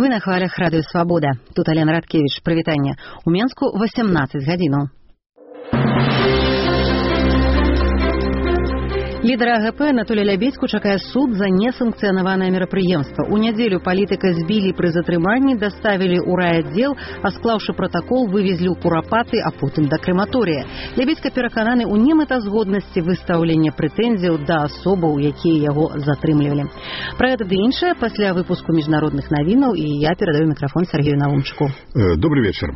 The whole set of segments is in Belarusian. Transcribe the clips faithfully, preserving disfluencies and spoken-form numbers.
Вы на хвалях радыё Свабода. Тут Алена Радкевич. Прывітанне. У Менску восемнадцать гадзінаў. Лідара АГП Анатолія Лябедзьку чакае суд за несанкцыянаванае мерапрыемства. У нядзелю палітыка збілі пры затрыманні, даставілі ў райаддзел, а склаўшы пратакол, вывезлі ў Курапаты, а потым да крэматорыя. Лябедзька перакананы ў немэтазгоднасці выстаўлення прэтэнзіяў да асобаў, якія яго затрымлівалі. Пра гэта ды іншае пасля выпуску міжнародных навінаў, і я перадаю мікрафон Сергею Наумчыку. Добрый вечер.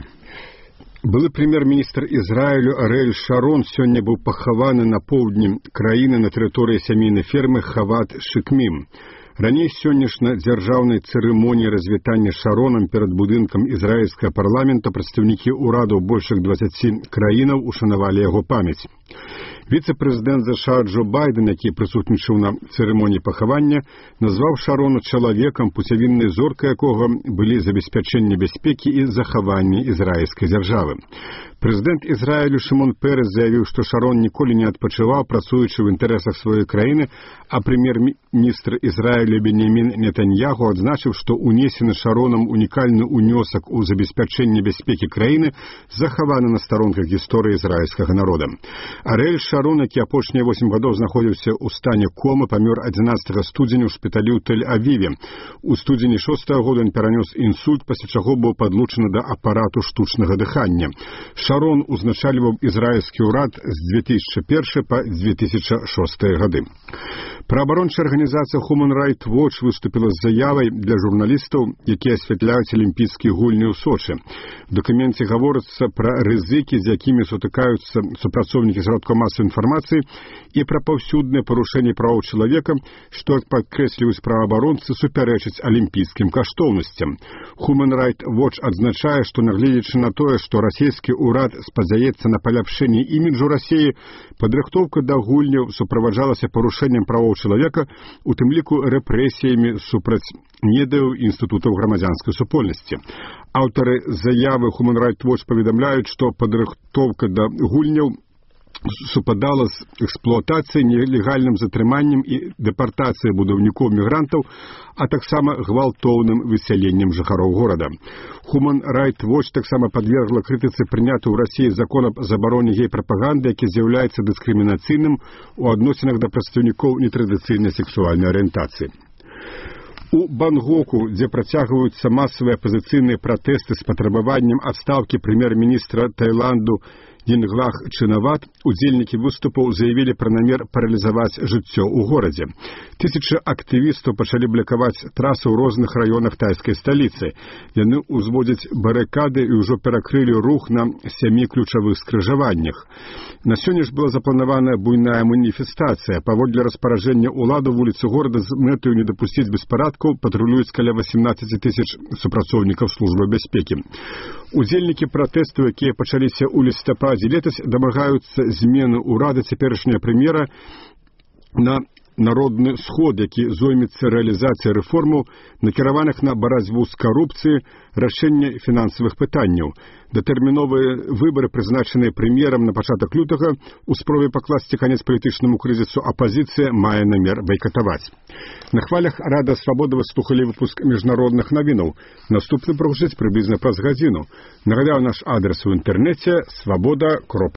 Былы прэм'ер-міністр Ізраілю Арыэль Шарон сёння быў пахаваны на поўдні краіны на тэрыторыі сямейнай фермы Хават Шыкмім. Раней сённяшняй дзяржаўнай цырымоніі развітання Шаронам перад будынкам ізраільскага парламента прадстаўнікі ўрадаў большых дваццаці краінаў ушанавалі яго памяць. Віцэ-прэзідэнт ЗША Джо Байден, які прысутнічаў на цырымоніі пахавання, назваў Шарона чалавекам, пуцявіннай зоркай якога былі забеспячэнне бяспекі і захаванне ізраільскай дзяржавы. Прэзідэнт Ізраілю Шымон Перес заявіў, што Шарон ніколі не адпачываў, працуючы ў інтарэсах сваёй краіны, а прэм'ер-міністр Ізраілю Беньямін Нетаньяху адзначыў, што унесены Шаронам унікальны ўнёсак у забеспячэнне бяспекі краіны захаваны на старонках гісторыі ізраільскага народа. Арыэль Шарон, які апошнія восем гадоў знаходзіўся ў стане комы, памёр адзінаццатага студзеня ў шпіталі ў Тель-Авіве. У студзені шостага года ён перанёс інсульт, пасля чаго быў падлучаны да апарату штучнага дыхання. Шарон узначальваў ізраільскі ўрад з дзве тысячы першага па дзве тысячы шосты гады. Праабарончая арганізацыя Human Rights Watch выступіла з заявай для журналістаў, якія асвятляюць алімпійскія гульні ў Сочы. В дакуменце гаворыцца пра рызыкі, з якімі сутыкаюцца супрацоўнікі сродкаў масавай інфармацыі, і пра паўсюднае парушэнне правоў чалавека, што, як падкрэсліваюць праваабаронцы, супярэчыць алімпійскім каштоўнасцям. Human Rights Watch адзначае, што нягледзячы на тое, што расійскі ўрад спадзяецца на паляпшэнне іміджу Расіі, падрыхтоўка да гульняў суправаджалася парушэннем правоў чалавека, у тым ліку рэпрэсіямі супраць недаў інстытутаў грамадзянскай супольнасці. Аўтары заявы Human Rights Watch паведамляюць, што падрыхтоўка да гульняў супадала з эксплуатацыяй, нелегальным затрыманнем і дэпартацыяй будаўнікоў-мігрантаў, а таксама гвалтоўным высяленнем жыхароў горада. Human Rights Watch таксама падвергла крытыцы прыняты ў Расіі закон аб забароне гей-прапаганды, які з'яўляецца дыскрымінацыйным у адносінах да прадстаўнікоў нетрадыцыйнай сексуальнай арыентацыі. У Бангоку, дзе працягваюцца масавыя апазіцыйныя пратэсты з патрабаваннем адстаўкі прэм'ер-міністра Таіланду Йинглах Чинават, удзельнікі выступаў заявілі пра намер паралізаваць жыццё ў горадзе. Тысячы актывістаў пачалі блакаваць трасы ў розных раёнах тайскай сталіцы. Яны ўзводзяць барыкады і ўжо перакрылі рух на сямі ключавых скрыжаваннях. На сёння ж была запланаваная буйная маніфестацыя. Паводле распараджэння ўлады вуліцы горада з мэтаю не дапусціць беспарадкаў патрулююць каля восемнадцаць тысяч супрацоўнікаў службы бяспекі. Удзельнікі пратэсту, якія пачаліся ў лістападзе летась, дамагаюцца змены ўрада цяперашняга прэм'ера на народны сход, які зоймецца рэалізацыяй рэформаў, накіраваных на барацьбу з карупцыяй, рашэнне фінансавых пытанняў. Датэрміновыя выбары, прызначаныя прэм'ерам на пачатак лютага, у спробе пакласці канец палітычнаму крызісу апазіцыя мае намер байкатаваць. На хвалях Радыё Свабода вы слухалі выпуск міжнародных навінаў. Наступны прагучыць прыблізна праз гадзіну. Нагадаю, наш адрес у інтэрнэце свабода кропка